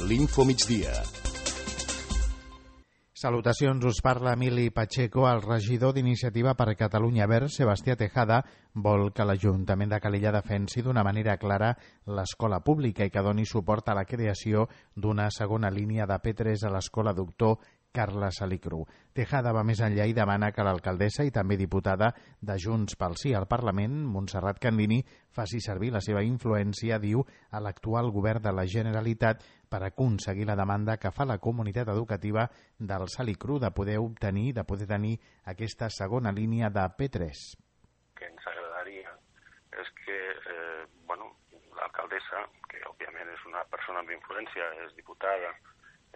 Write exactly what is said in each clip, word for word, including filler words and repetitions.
l'Infomigdia. Salutacions, us parla Emili Pacheco. El regidor d'Iniciativa per Catalunya Verds, Sebastià Tejada, vol que l'Ajuntament de Calella defensi d'una manera clara l'escola pública i que doni suport a la creació d'una segona línia de P tres a l'escola Doctor Carla Salicru. Tejada va més enllà i demana que l'alcaldessa i també diputada de Junts pel Sí al Parlament, Montserrat Candini, faci servir la seva influència, diu, a l'actual govern de la Generalitat per aconseguir la demanda que fa la comunitat educativa del Salicru de poder obtenir, de poder tenir aquesta segona línia de P tres. Que ens agradaria és que eh, bueno, l'alcaldessa, que òbviament és una persona amb influència, és diputada,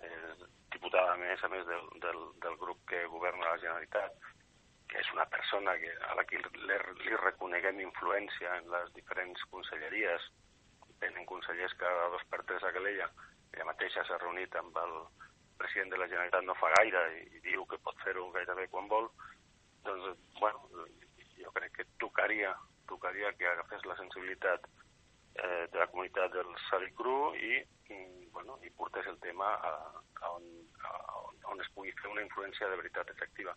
és diputada a més a més del, del, del grup que governa la Generalitat, que és una persona que, a la que li, li reconeguem influència en les diferents conselleries. Tenen consellers cada dos per tres a Calella. Ella mateixa s'ha reunit amb el president de la Generalitat no fa gaire i, i diu que pot fer-ho gairebé quan vol. Doncs, bueno, jo crec que tocaria, tocaria que agafés la sensibilitat eh, de la comunitat del Salicru i, i, bueno, i portés el tema a, a, on, a on, on es pugui fer una influència de veritat efectiva.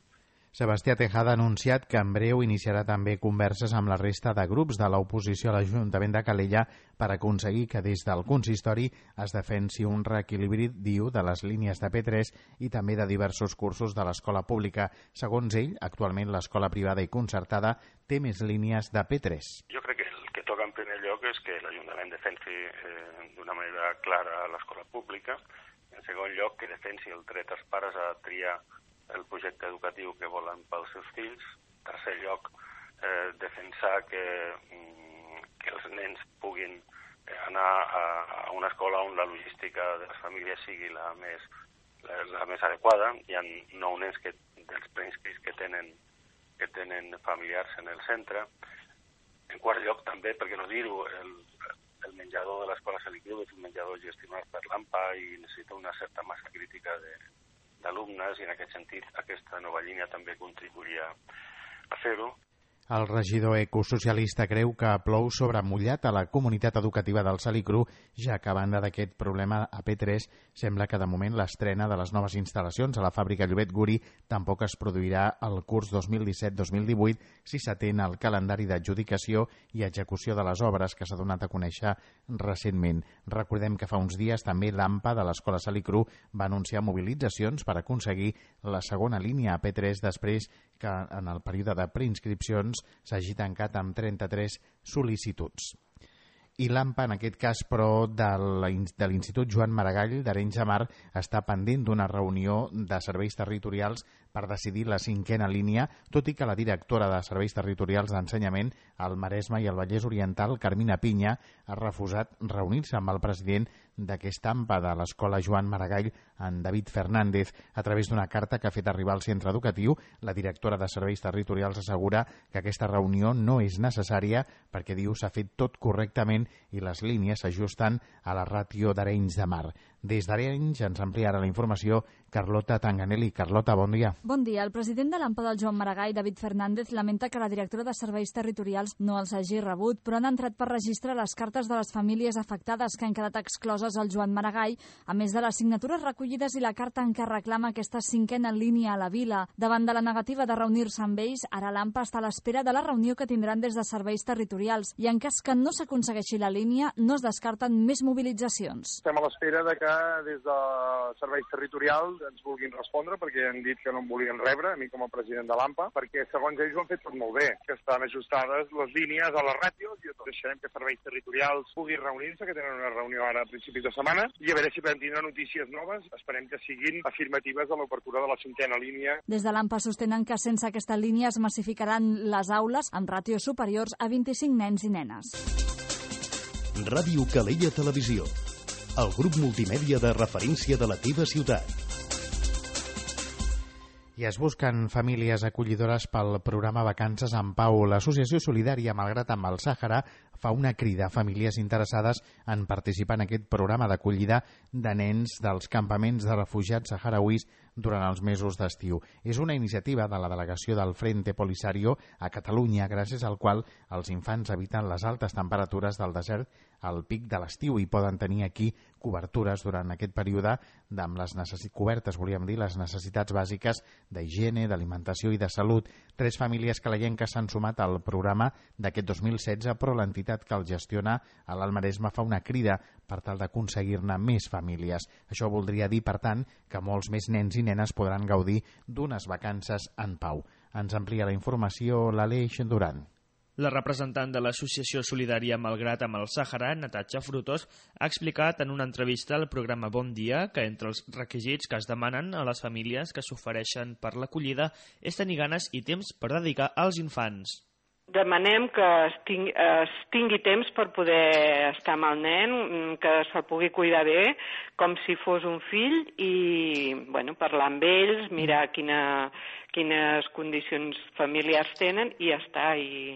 Sebastià Tejada ha anunciat que en breu iniciarà també converses amb la resta de grups de l'oposició a l'Ajuntament de Calella per aconseguir que des del consistori es defensi un reequilibri, diu, de les línies de P tres i també de diversos cursos de l'escola pública. Segons ell, actualment l'escola privada i concertada té més línies de P tres. Jo crec que el que toca en primer lloc és que l'Ajuntament defensi eh, d'una manera clara l'escola pública. En segon lloc, que defensi el dret als pares a triar el projecte educatiu que volen pels seus fills. En tercer lloc, eh, defensar que, que els nens puguin anar a, a una escola on la logística de les famílies sigui la més, la, la més adequada. Hi ha nou nens que, dels preinscrits que tenen, que tenen familiars en el centre. En quart lloc, també, per què no dir-ho, el, el menjador de l'escola Salicru és un menjador gestionat per l'AMPA i necessita una certa massa crítica de d'alumnes i en aquest sentit aquesta nova línia també contribuiria a fer-ho. El regidor ecosocialista creu que plou sobre mullat a la comunitat educativa del Salicru, ja que a banda d'aquest problema a P tres sembla que de moment l'estrena de les noves instal·lacions a la fàbrica Llobet Guri tampoc es produirà el curs dos mil disset dos mil divuit si s'atén al calendari d'adjudicació i execució de les obres que s'ha donat a conèixer recentment. Recordem que fa uns dies també l'AMPA de l'escola Salicru va anunciar mobilitzacions per aconseguir la segona línia a P tres després que en el període de preinscripcions s'hagi tancat amb trenta-tres sol·licituds. I l'AMPA, en aquest cas, però, de l'Institut Joan Maragall d'Arenys de Mar, està pendent d'una reunió de serveis territorials per decidir la cinquena línia, tot i que la directora de Serveis Territorials d'Ensenyament al Maresme i al Vallès Oriental, Carmina Pinya, ha refusat reunir-se amb el president d'aquesta AMPA de l'Escola Joan Maragall, en David Fernández. A través d'una carta que ha fet arribar al centre educatiu, la directora de Serveis Territorials assegura que aquesta reunió no és necessària perquè, diu, s'ha fet tot correctament i les línies s'ajusten a la ràtio d'Arenys de Mar. Des d'Arenys ens amplia ara la informació Carlota Tanganelli. Carlota, bon dia. Bon dia. El president de l'AMPA del Joan Maragall, David Fernández, lamenta que la directora de Serveis Territorials no els hagi rebut, però han entrat per registre les cartes de les famílies afectades que han quedat excloses al Joan Maragall, a més de les signatures recollides i la carta en què reclama aquesta cinquena línia a la vila. Davant de la negativa de reunir-se amb ells, ara l'AMPA està a l'espera de la reunió que tindran des de Serveis Territorials i en cas que no s'aconsegueixi la línia, no es descarten més mobilitzacions. Estem a l'espera de que des de Serveis Territorials ens vulguin respondre, perquè han dit que no em volien rebre, a mi com a president de l'AMPA, perquè segons ells ho han fet tot molt bé, que estan ajustades les línies a les ràtios, i deixarem que Serveis Territorials pugui reunir-se, que tenen una reunió ara a principis de setmana, i a veure si podem tindre notícies noves, esperem que siguin afirmatives a l'obertura de la cinquena línia. Des de l'AMPA sostenen que sense aquesta línia es massificaran les aules amb ràtios superiors a vint-i-cinc nens i nenes. Ràdio Calella Televisió, el grup multimèdia de referència de la teva ciutat. I es busquen famílies acollidores pel programa Vacances en Pau. L'Associació Solidària Malgrat amb el Sàhara fa una crida a famílies interessades en participar en aquest programa d'acollida de nens dels campaments de refugiats saharauis durant els mesos d'estiu. És una iniciativa de la delegació del Frente Polisario a Catalunya, gràcies al qual els infants eviten les altes temperatures del desert al pic de l'estiu i poden tenir aquí cobertures durant aquest període amb les necessitats cobertes, volíem dir, les necessitats bàsiques d'higiene, d'alimentació i de salut. Tres famílies calaienques s'han sumat al programa d'aquest dos mil setze, però l'entitat que el gestiona a l'Alt Maresme fa una crida per tal d'aconseguir-ne més famílies. Això voldria dir, per tant, que molts més nens i nenes podran gaudir d'unes vacances en pau. Ens amplia la informació l'Aleix Duran. La representant de l'Associació Solidària Malgrat amb el Sàhara, Natasha Frutos, ha explicat en una entrevista al programa Bon Dia que entre els requisits que es demanen a les famílies que s'ofereixen per l'acollida és tenir ganes i temps per dedicar als infants. Demanem que es tingui, es tingui temps per poder estar amb el nen, que se'l pugui cuidar bé, com si fos un fill, i bueno, parlar amb ells, mirar quina, quines condicions familiars tenen i ja està, i,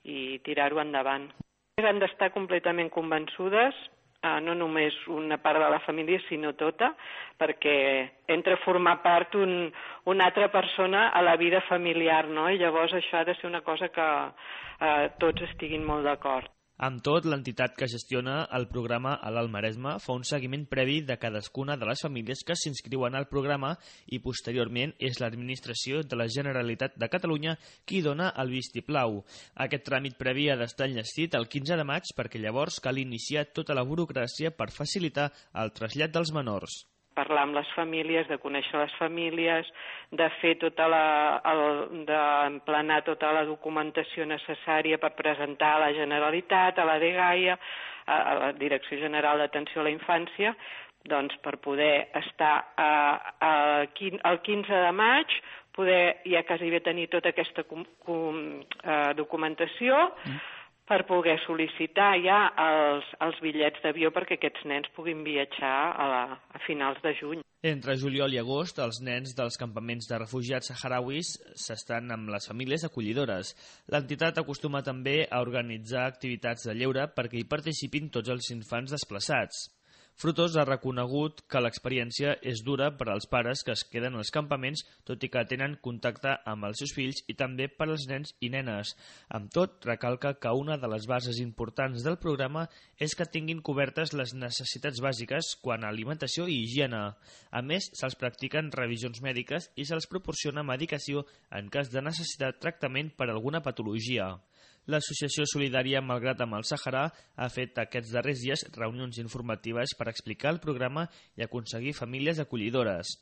i tirar-ho endavant. Han d'estar completament convençudes, eh, no només una part de la família, sinó tota, perquè entra a formar part un, una altra persona a la vida familiar, no? I llavors això ha de ser una cosa que eh, tots estiguin molt d'acord. Amb tot, l'entitat que gestiona el programa a l'Alt Maresme fa un seguiment previ de cadascuna de les famílies que s'inscriuen al programa i posteriorment és l'administració de la Generalitat de Catalunya qui dona el vistiplau. Aquest tràmit previ ha d'estar enllestit el quinze de maig perquè llavors cal iniciar tota la burocràcia per facilitar el trasllat dels menors. Parlar amb les famílies, de conèixer les famílies, de fer tota la, el, d'emplenar tota la documentació necessària per presentar a la Generalitat, a la DGAIA, a, a la Direcció General d'Atenció a la Infància, doncs per poder estar a, a, el quinze de maig, poder ja quasi bé tenir tota aquesta com, com, eh, documentació, mm. per poder sol·licitar ja els, els bitllets d'avió perquè aquests nens puguin viatjar a, la, a finals de juny. Entre juliol i agost, els nens dels campaments de refugiats saharauis s'estan amb les famílies acollidores. L'entitat acostuma també a organitzar activitats de lleure perquè hi participin tots els infants desplaçats. Frutos ha reconegut que l'experiència és dura per als pares que es queden als campaments, tot i que tenen contacte amb els seus fills i també per als nens i nenes. Amb tot, recalca que una de les bases importants del programa és que tinguin cobertes les necessitats bàsiques quant a alimentació i higiene. A més, se'ls practiquen revisions mèdiques i se'ls proporciona medicació en cas de necessitar tractament per alguna patologia. L'Associació Solidària Malgrat amb el Sàhara ha fet aquests darrers dies reunions informatives per explicar el programa i aconseguir famílies acollidores.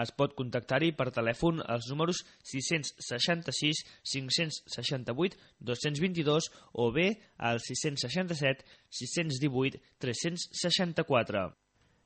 Es pot contactar-hi per telèfon als números sis-cents seixanta-sis cinc-cents seixanta-vuit dos-cents vint-i-dos o bé al sis-cents seixanta-set sis-cents divuit tres-cents seixanta-quatre.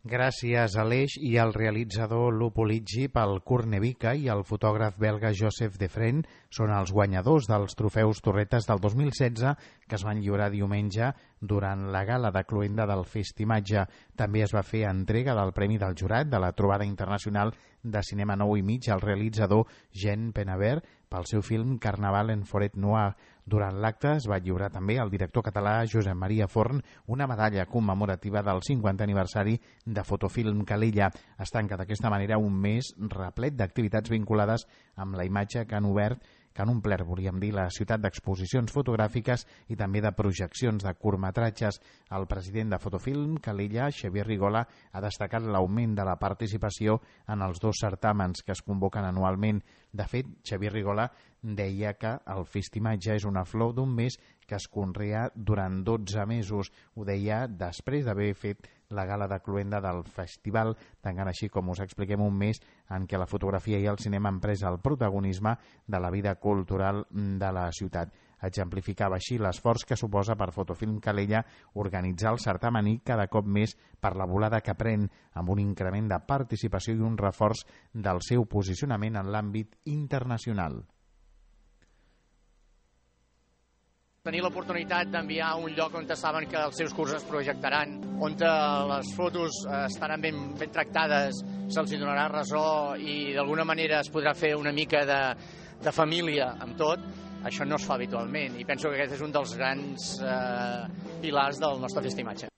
Gràcies a l'Eix i al realitzador Lupo Liggi pel Kurnevica i el fotògraf belga Joseph Defren són els guanyadors dels trofeus Torretes del dos mil setze que es van lliurar diumenge durant la gala de cloenda del Festimatge. També es va fer entrega del Premi del Jurat de la Trobada Internacional de Cinema nou i mig al realitzador Jean Penabert pel seu film Carnaval en Forêt Noire. Durant l'acte es va lliurar també al director català Josep Maria Forn una medalla commemorativa del cinquantè aniversari de Fotofilm Calella. Es tanca d'aquesta manera un mes replet d'activitats vinculades amb la imatge que han obert que han omplert, volíem dir, la ciutat d'exposicions fotogràfiques i també de projeccions de curtmetratges. El president de Fotofilm Calella, Xavier Rigola, ha destacat l'augment de la participació en els dos certàmens que es convoquen anualment. De fet, Xavier Rigola deia que el Festimatge és una flor d'un mes que es conrea durant dotze mesos. Ho deia després d'haver fet la gala de cloenda del festival, tancant així, com us expliquem, un mes en què la fotografia i el cinema han pres el protagonisme de la vida cultural de la ciutat. Exemplificava així l'esforç que suposa per Fotofilm Calella organitzar el certamen i cada cop més per la volada que pren, amb un increment de participació i un reforç del seu posicionament en l'àmbit internacional. Tenir l'oportunitat d'enviar a un lloc on saben que els seus curs es projectaran, on les fotos estaran ben, ben tractades, se'ls donarà ressò i d'alguna manera es podrà fer una mica de, de família amb tot, això no es fa habitualment, i penso que aquest és un dels grans eh, pilars del nostre Festimatge.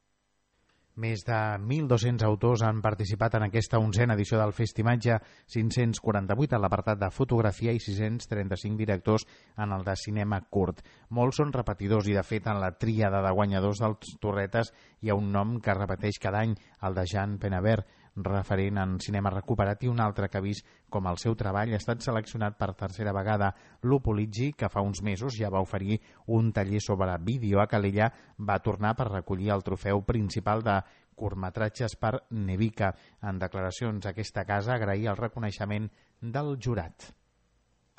Més de mil dos-cents autors han participat en aquesta onzena edició del Festimatge, cinc-cents quaranta-vuit en l'apartat de fotografia i sis-cents trenta-cinc directors en el de cinema curt. Molts són repetidors i, de fet, en la tríada de guanyadors dels Torretes hi ha un nom que es repeteix cada any, el de Jean Penabert, referent en cinema recuperat, i un altre que ha vist com el seu treball ha estat seleccionat per tercera vegada. Lupo Liggi, que fa uns mesos ja va oferir un taller sobre vídeo a Calella, va tornar per recollir el trofeu principal de curtmetratges per Nevica. En declaracions a aquesta casa agrair el reconeixement del jurat.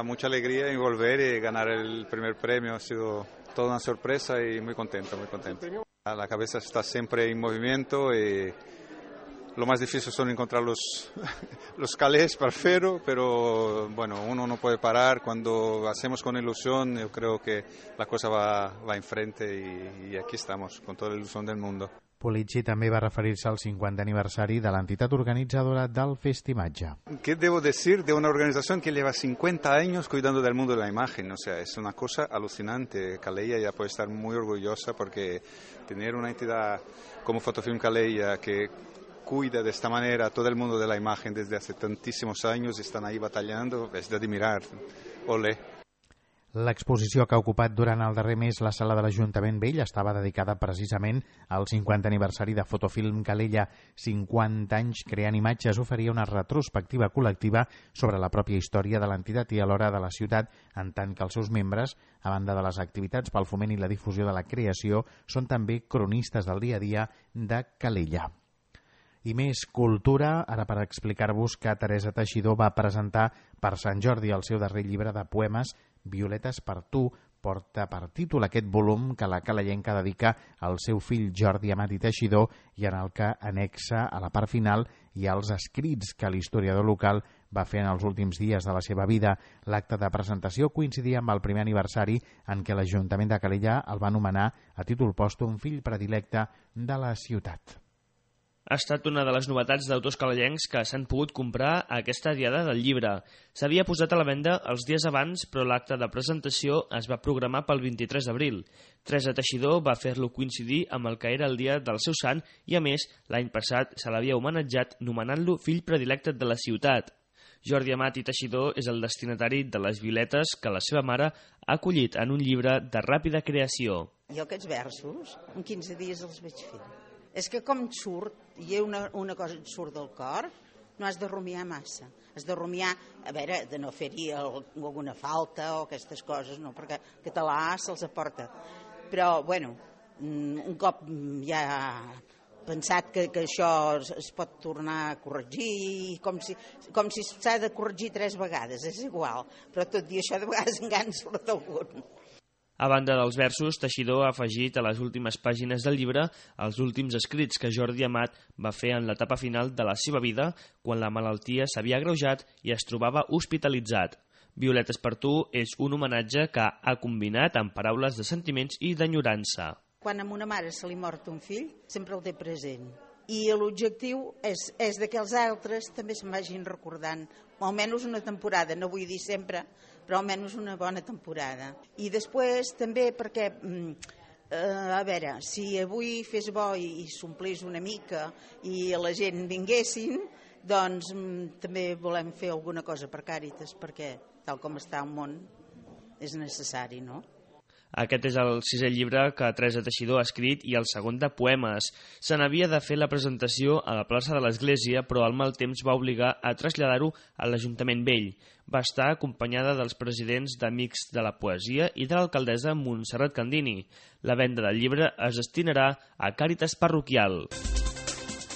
Mucha alegría en volver y ganar el primer premio, ha sido toda una sorpresa y muy contento, muy contento. La cabeza está siempre en movimiento y lo más difícil son encontrar los, los calés para hacerlo, pero bueno, uno no puede parar. Cuando hacemos con ilusión, yo creo que la cosa va, va enfrente y, y aquí estamos, con toda la ilusión del mundo. Polizzi també va referir-se al cinquantè aniversari de l'entitat organitzadora del Festimatge. ¿Qué debo decir de una organización que lleva cincuenta años cuidando del mundo de la imagen? O sea, es una cosa alucinante. Calella ya puede estar muy orgullosa porque tener una entidad como Fotofilm Calella que cuida de esta manera todo el mundo de la imagen desde hace tantísimos años y están ahí batallando, es de admirar. Olé. L'exposició que ha ocupat durant el darrer mes la sala de l'Ajuntament Vell estava dedicada precisament al cinquantè aniversari de Fotofilm Calella. cinquanta anys creant imatges oferia una retrospectiva col·lectiva sobre la pròpia història de l'entitat i alhora de la ciutat, en tant que els seus membres, a banda de les activitats pel foment i la difusió de la creació, són també cronistes del dia a dia de Calella. I més cultura, ara per explicar-vos que Teresa Teixidor va presentar per Sant Jordi el seu darrer llibre de poemes, Violetes per tu, porta per títol aquest volum que la calellenca dedica al seu fill Jordi Amat i Teixidor i en el que anexa a la part final i als escrits que l'historiador local va fer en els últims dies de la seva vida. L'acte de presentació coincidia amb el primer aniversari en què l'Ajuntament de Calella el va nomenar a títol pòstum fill predilecte de la ciutat. Ha estat una de les novetats d'autors calellencs que s'han pogut comprar a aquesta diada del llibre. S'havia posat a la venda els dies abans, però l'acte de presentació es va programar pel vint-i-tres d'abril. Teresa Teixidor va fer-lo coincidir amb el que era el dia del seu sant i, a més, l'any passat se l'havia homenatjat nomenant-lo fill predilecte de la ciutat. Jordi Amat i Teixidor és el destinatari de les violetes que la seva mare ha acollit en un llibre de ràpida creació. Jo aquests versos, en quinze dies els vaig fer. És que com et surt, i una, una cosa et surt del cor, no has de rumiar massa. Has de rumiar, a veure, de no fer-hi alguna falta o aquestes coses, no, perquè el català se'ls aporta. Però, bueno, un cop ja pensat que, que això es pot tornar a corregir, com si, com si s'ha de corregir tres vegades, és igual. Però tot i això, de vegades encara en surt algun. A banda dels versos, Teixidor ha afegit a les últimes pàgines del llibre els últims escrits que Jordi Amat va fer en l'etapa final de la seva vida, quan la malaltia s'havia agreujat i es trobava hospitalitzat. Violetes per tu és un homenatge que ha combinat amb paraules de sentiments i d'enyorança. Quan a una mare se li mort un fill, sempre el té present. I l'objectiu és, és que els altres també se'n vagin recordant, o almenys una temporada, no vull dir sempre, però almenys una bona temporada. I després també perquè, eh, a veure, si avui fes bo i, i s'omplís una mica i la gent vinguessin, doncs també volem fer alguna cosa per Càritas, perquè tal com està el món és necessari, no? Aquest és el sisè llibre que Teresa Teixidor ha escrit i el segon de poemes. Se n'havia de fer la presentació a la plaça de l'Església, però el mal temps va obligar a traslladar-ho a l'Ajuntament Vell. Va estar acompanyada dels presidents d'Amics de la Poesia i de l'alcaldessa Montserrat Candini. La venda del llibre es destinarà a Càritas Parroquial.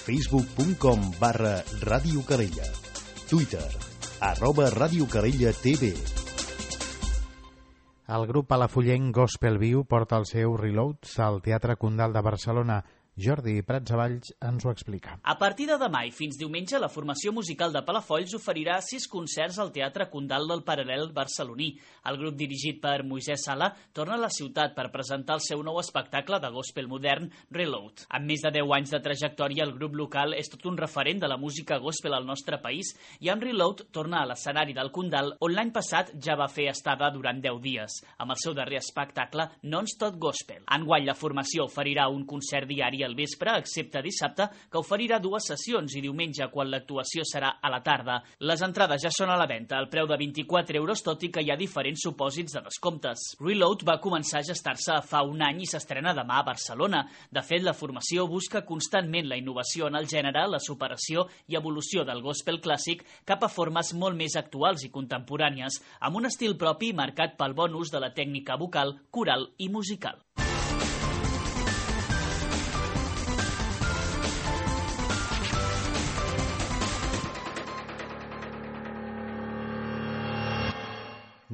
facebook punt com barra Ràdio Calella. Twitter, arroba Ràdio Calella T V. El grup palafrugell Gospel Viu porta el seu Reloads al Teatre Condal de Barcelona. Jordi Pratsavalls ens ho explica. A partir de demà i fins diumenge, la formació musical de Palafolls oferirà sis concerts al Teatre Condal del Paral·lel barceloní. El grup dirigit per Moisès Sala torna a la ciutat per presentar el seu nou espectacle de gospel modern, Reload. Amb més de deu anys de trajectòria, el grup local és tot un referent de la música gospel al nostre país i amb Reload torna a l'escenari del Condal, on l'any passat ja va fer estada durant deu dies, amb el seu darrer espectacle Non-Stop Gospel. Enguany la formació oferirà un concert diari al vespre, excepte dissabte, que oferirà dues sessions, i diumenge, quan l'actuació serà a la tarda. Les entrades ja són a la venda, al preu de vint-i-quatre euros, tot i que hi ha diferents supòsits de descomptes. Reload va començar a gestar-se fa un any i s'estrena demà a Barcelona. De fet, la formació busca constantment la innovació en el gènere, la superació i evolució del gospel clàssic cap a formes molt més actuals i contemporànies, amb un estil propi marcat pel bon ús de la tècnica vocal, coral i musical.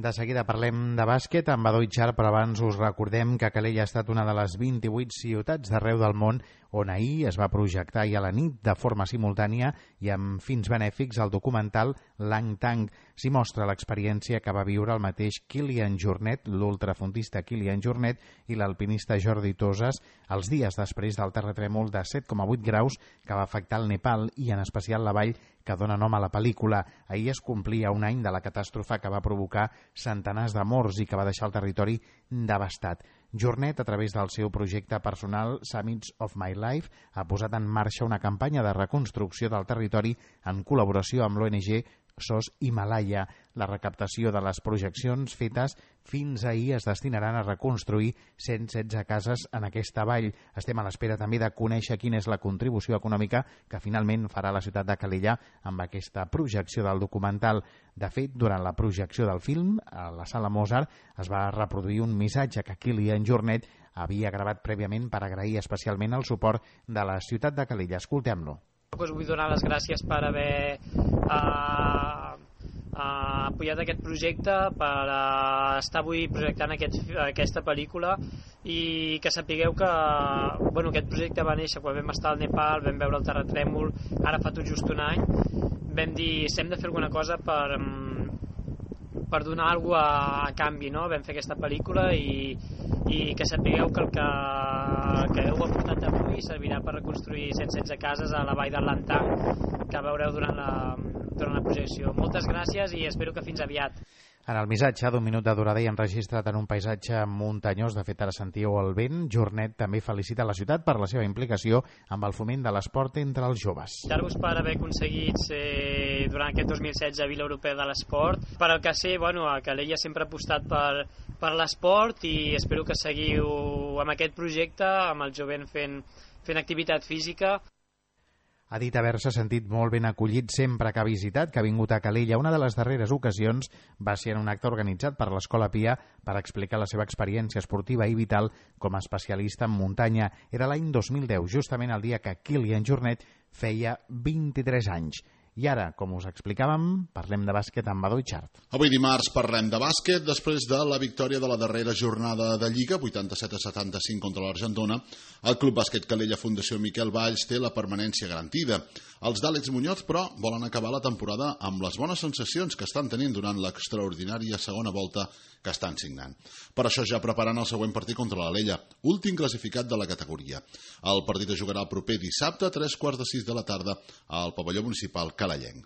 De seguida parlem de bàsquet amb Badó Itxart, però abans us recordem que Calella ha estat una de les vint-i-vuit ciutats d'arreu del món on ahir es va projectar i a la nit de forma simultània i amb fins benèfics el documental Lang Tang. S'hi mostra l'experiència que va viure el mateix Kilian Jornet, l'ultrafondista Kilian Jornet i l'alpinista Jordi Toses els dies després del terratrèmol de set coma vuit graus que va afectar el Nepal i en especial la vall que dona nom a la pel·lícula. Ahir es complia un any de la catàstrofe que va provocar centenars de morts i que va deixar el territori devastat. Jornet, a través del seu projecte personal Summits of My Life, ha posat en marxa una campanya de reconstrucció del territori en col·laboració amb l'O N G S O S Himalaya. La recaptació de les projeccions fetes fins ahir es destinaran a reconstruir cent setze cases en aquesta vall. Estem a l'espera també de conèixer quina és la contribució econòmica que finalment farà la ciutat de Calella amb aquesta projecció del documental. De fet, durant la projecció del film, a la Sala Mozart, es va reproduir un missatge que Kilian Jornet havia gravat prèviament per agrair especialment el suport de la ciutat de Calella. Escoltem-lo. Us vull donar les gràcies per haver uh, uh, apoyat aquest projecte, per uh, estar avui projectant aquest, aquesta pel·lícula, i que sapigueu que bueno, aquest projecte va néixer quan vam estar al Nepal, vam veure el terratrèmol, ara fa tot just un any. Vam dir, si hem de fer alguna cosa per, per donar alguna cosa a, a canvi, no? Vam fer aquesta pel·lícula i, i que sapigueu que el que, que heu aportat avui servirà per reconstruir cent setze cases a la vall del Lang Tang que veureu durant la, durant la projecció. Moltes gràcies i espero que fins aviat. En el missatge d'un minut de durada i enregistrat en un paisatge muntanyós, de fet ara sentíeu el vent, Jornet també felicita la ciutat per la seva implicació amb el foment de l'esport entre els joves. Felicitar-vos per haver aconseguit ser, durant aquest dos mil setze, Vila Europea de l'Esport. Per el que sé, bueno, a Calella sempre ha apostat per, per l'esport i espero que seguiu amb aquest projecte, amb el jovent fent, fent activitat física. Ha dit haver-se sentit molt ben acollit sempre que ha visitat, que ha vingut a Calella. Una de les darreres ocasions va ser en un acte organitzat per l'Escola Pia per explicar la seva experiència esportiva i vital com a especialista en muntanya. Era l'any dos mil deu, justament el dia que Kilian Jornet feia vint-i-tres anys. I ara, com us explicàvem, parlem de bàsquet amb Badó Itxart. Avui dimarts parlem de bàsquet després de la victòria de la darrera jornada de Lliga, vuitanta-set a setanta-cinc contra l'Argentona. El Club Bàsquet Calella Fundació Miquel Valls té la permanència garantida. Els d'Àlex Muñoz, però, volen acabar la temporada amb les bones sensacions que estan tenint durant l'extraordinària segona volta que estan signant. Per això ja preparen el següent partit contra l'Alella, últim classificat de la categoria. El partit es jugarà el proper dissabte a tres quarts de sis de la tarda al pavelló municipal calellenc.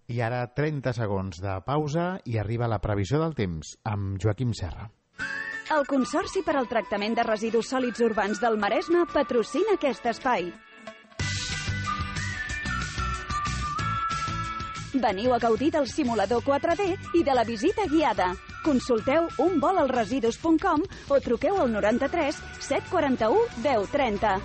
I ara trenta segons de pausa i arriba la previsió del temps amb Joaquim Serra. El Consorci per al Tractament de Residus Sòlids Urbans del Maresme patrocina aquest espai. Veniu a gaudir del simulador quatre D i de la visita guiada. Consulteu un vol al residus punt com o truqueu al noranta-tres set quaranta-u deu trenta.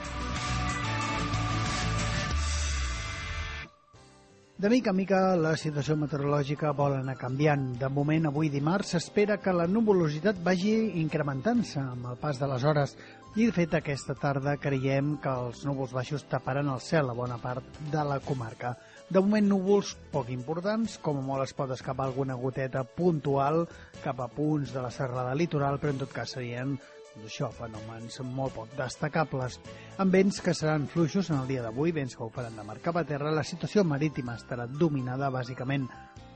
De mica en mica la situació meteorològica vol anar canviant. De moment, avui dimarts, s'espera que la nuvolositat vagi incrementant-se amb el pas de les hores i, de fet, aquesta tarda creiem que els núvols baixos taparan el cel a bona part de la comarca. De moment, núvols poc importants, com a molt es pot escapar alguna goteta puntual cap a punts de la serrada litoral, però en tot cas serien Això, fenòmens molt poc destacables. Amb vents que seran fluixos en el dia d'avui, vents que ho faran de mar cap a terra, la situació marítima estarà dominada bàsicament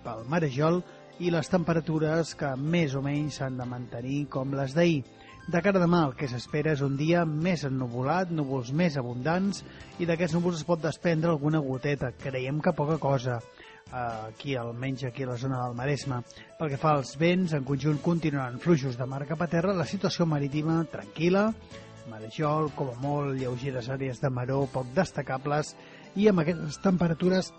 pel marejol i les temperatures que més o menys s'han de mantenir com les d'ahir. De cara a demà el que s'espera és un dia més ennuvolat, núvols més abundants, i d'aquests núvols es pot desprendre alguna goteta. Creiem que poca cosa, aquí almenys aquí a la zona del Maresme. Pel que fa als vents, en conjunt continuaran fluixos de mar cap a terra, la situació marítima tranquil·la, marejol, com a molt, lleugeres àrees de maró poc destacables, i amb aquestes temperatures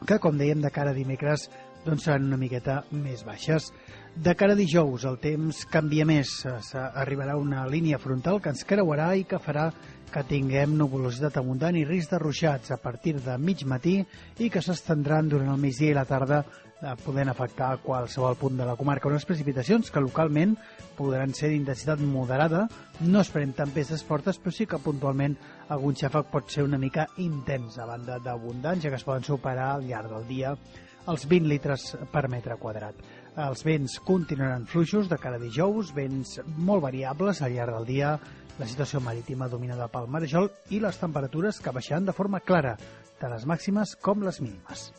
que, com dèiem, de cara a dimecres doncs seran una miqueta més baixes. De cara a dijous el temps canvia més, arribarà una línia frontal que ens creuarà i que farà que tinguem nuvolositat abundant i risc de ruixats a partir de mig matí i que s'estendran durant el migdia i la tarda, podent afectar qualsevol punt de la comarca. Unes precipitacions que localment podran ser d'intensitat moderada, no esperem tempestes fortes, però sí que puntualment algun xàfec pot ser una mica intens, a banda d'abundants, ja que es poden superar al llarg del dia els vint litres per metre quadrat. Els vents continuaran fluixos de cara a dijous, vents molt variables al llarg del dia, la situació marítima dominada pel marejol i les temperatures que baixaran de forma clara, tant les màximes com les mínimes.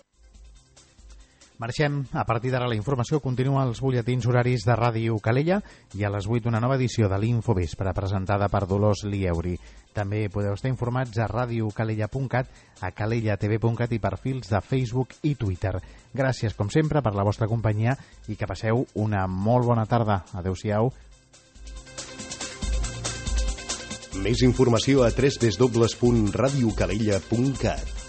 Marxem. A partir d'ara la informació continua als butlletins horaris de Ràdio Calella i a les vuit una nova edició de l'Infovespre presentada per Dolors Lieuri. També podeu estar informats a radiocalella punt cat, a calella t v punt cat i perfils de Facebook i Twitter. Gràcies, com sempre, per la vostra companyia i que passeu una molt bona tarda. Adéu-siau. Més informació a w w w punt radiocalella punt cat.